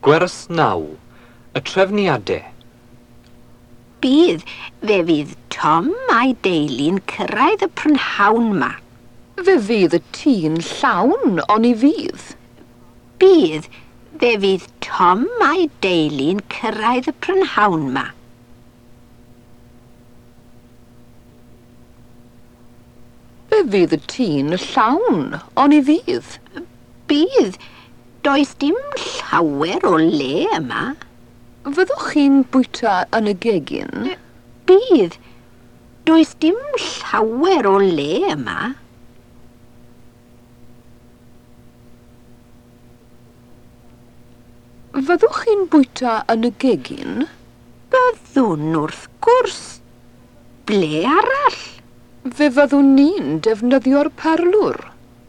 Gwers 9. Y trefniadau. Bydd, fe fydd Tom a'i deulu'n cyrraedd y prynhawn 'ma. Fe fydd y tŷ'n llawn, oni fydd? Bydd, fe fydd Tom a'i deulu'n cyrraedd y prynhawn 'ma. Fe fydd y tŷ'n llawn, oni fydd? Bydd, does dim llawer o le yma. Fyddwch chi'n bwyta yn y gegin? Bydd, does dim llawer o le yma. Fyddwch chi'n bwyta yn y gegin? Byddwn, wrth gwrs. Ble arall? Fe fyddwn ni'n defnyddio'r parlwr.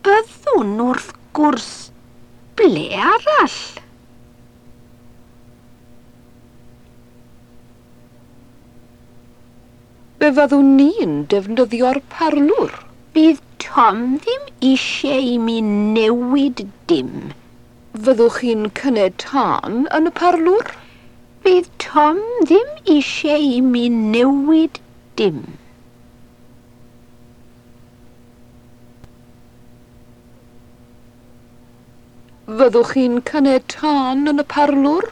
Byddwn, wrth gwrs. Ble arall? Fe fyddwn ni'n defnyddio'r parlwr. Bydd Tom ddim eisiau i mi newid dim. Fyddwch chi'n cynnau tân yn y parlwr? Bydd Tom ddim eisiau i mi newid dim. Fyddwch chi'n cynnau tân yn y parlwr?